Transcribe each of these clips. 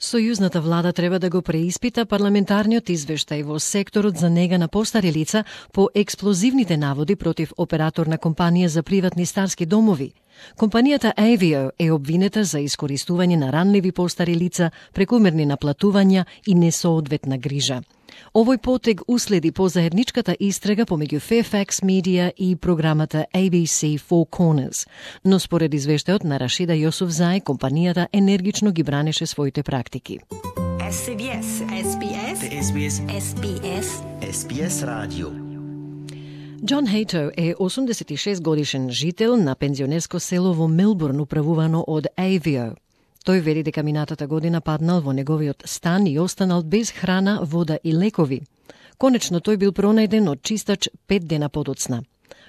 Сојузната влада треба да го преиспита парламентарниот извештај во секторот за нега на постари лица по експлозивните наводи против операторна компанија за приватни старски домови. Компанијата Avio е обвинета за искористување на ранливи постари лица, прекумерни наплатувања и несоодветна грижа. Овој потег уследи по заедничката истрага помеѓу Fairfax Media и програмата ABC Four Corners, но според извештајот на Рашида Јосуфзај, компанијата енергично ги бранеше своите практики. SBS радио. Џон Хејто е 86 годишен жител на пензионерско село во Мелбурн, управувано од Avio. Тој вели дека минатата година паднал во неговиот стан и останал без храна, вода и лекови. Конечно тој бил пронајден од чистач 5 дена подоцна.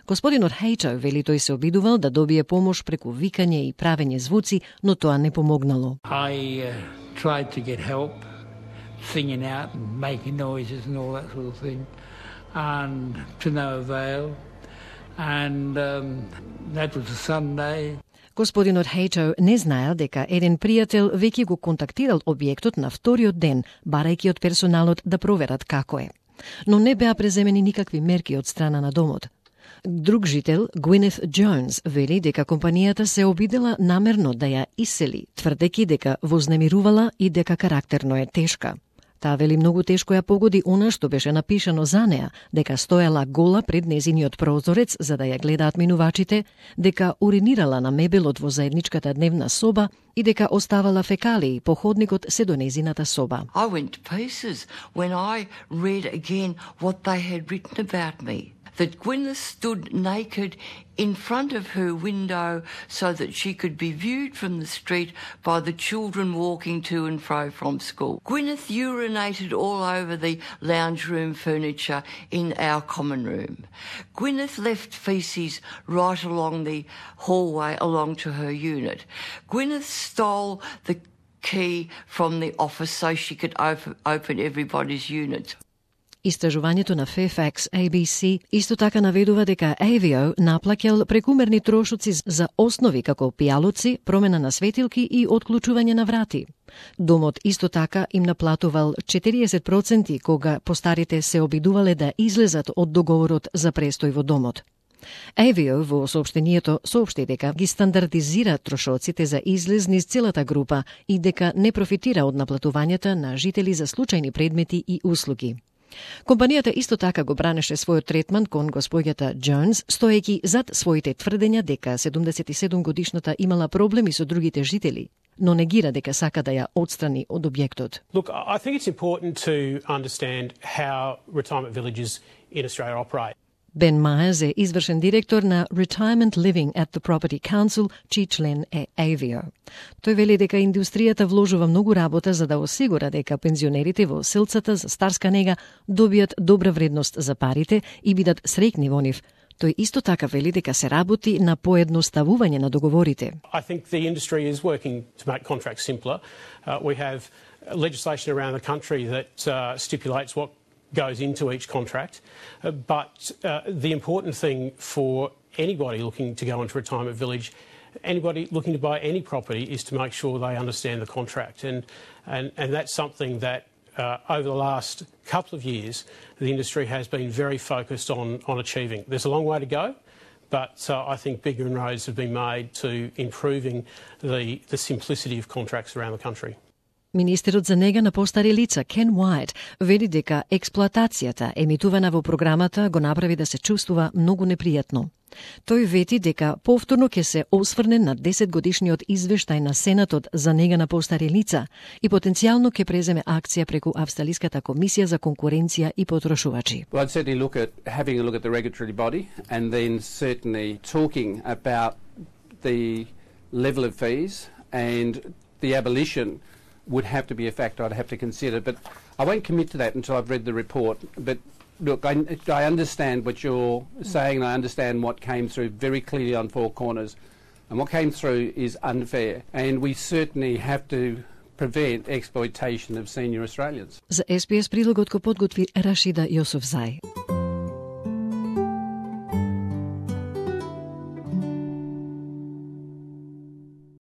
Господинот Хејто вели тој се обидувал да добие помош преку викање и правење звуци, но тоа не помогнало. I tried to get help, singing out and making noises and all that sort of thing, and to no avail. And that was a Sunday. Господинот Хејто не знаел дека еден пријател веќе го контактирал објектот на вториот ден, барајќи од персоналот да проверат како е. Но не беа преземени никакви мерки од страна на домот. Друг жител, Гвинет Джонс, вели дека компанијата се обидела намерно да ја исели, тврдејќи дека вознемирувала и дека карактерно е тешка. Таа вели многу тешко ја погоди она што беше напишано за неа, дека стоела гола пред незиниот прозорец за да ја гледаат минувачите, дека уринирала на мебелот во заедничката дневна соба и дека оставала фекалии по ходникот се до незината соба. I went to pieces when I read again what they had written about me. That Gwyneth stood naked in front of her window so that she could be viewed from the street by the children walking to and fro from school. Gwyneth urinated all over the lounge room furniture in our common room. Gwyneth left feces right along the hallway along to her unit. Gwyneth stole the key from the office so she could open everybody's unit. Истражувањето на Fairfax ABC исто така наведува дека Avio наплаќал прекумерни трошоци за основи како пијалоци, промена на светилки и отклучување на врати. Домот исто така им наплатувал 40% кога постарите се обидувале да излезат од договорот за престој во домот. Avio во соопштението соопшти дека ги стандардизира трошоците за излез низ целата група и дека не профитира од наплатувањата на жители за случајни предмети и услуги. Компанијата исто така го бранеше својот третман кон господјата Джонс, стоејќи зад своите тврдења дека 77 годишната имала проблеми со другите жители, но негира дека сака да ја отстрани од објектот. Look, I think it's important to understand how retirement villages in Australia operate. Бен Мајерс е извршен директор на Retirement Living at the Property Council, чиј член е Avio. Тој вели дека индустријата вложува многу работа за да осигура дека пензионерите во селцата за старска нега добијат добра вредност за парите и бидат среќни во нив. Тој исто така вели дека се работи на поедноставување на договорите. I think the industry is working to make contracts simpler. We have legislation around the country that stipulates what goes into each contract. But the important thing for anybody looking to go into a retirement village, anybody looking to buy any property, is to make sure they understand the contract. And that's something that over the last couple of years, the industry has been very focused on achieving. There's a long way to go, but I think big inroads have been made to improving the simplicity of contracts around the country. Министерот за нега на постари лица Кен Уајт вели дека експлоатацијата емитувана во програмата го направи да се чувствува многу непријатно. Тој вети дека повторно ќе се осврне на 10-годишниот извештај на Сенатот за нега на постари лица и потенцијално ќе преземе акција преку Австралиската комисија за конкуренција и потрошувачи. Well, I'd certainly look at having a look at the regulatory body and then certainly talking about the level of fees, and the abolition would have to be a factor I'd have to consider. But I won't commit to that until I've read the report. But look, I understand what you're saying, and I understand what came through very clearly on Four Corners. And what came through is unfair. And we certainly have to prevent exploitation of senior Australians. За SBS прилогот го подготви Рашида Јосуфзај.